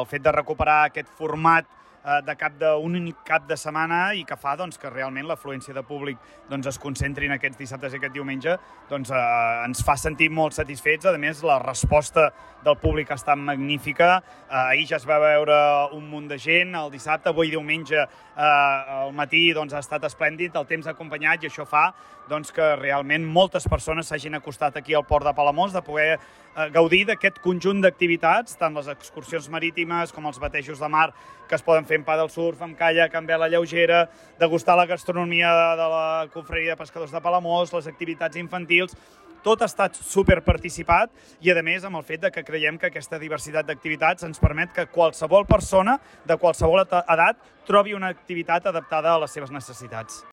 el fet de recuperar aquest format d'un únic cap de setmana i que fa que realment l'afluència de públic es concentri en aquests dissabtes i aquest diumenge, ens fa sentir molt satisfets. A més, la resposta del públic ha estat magnífica. Ahir ja es va veure un munt de gent, el dissabte, avui diumenge al matí ha estat esplèndid, el temps ha acompanyat i això fa que realment moltes persones s'hagin acostat aquí al Port de Palamós, de poder gaudir d'aquest conjunt d'activitats, tant les excursions marítimes com els batejos de mar que es poden fer en paddle surf, amb caiac, amb vela lleugera, degustar la gastronomia de la confraria de pescadors de Palamós, les activitats infantils. Tot ha estat superparticipat i, a més, amb el fet que creiem que aquesta diversitat d'activitats ens permet que qualsevol persona de qualsevol edat trobi una activitat adaptada a les seves necessitats.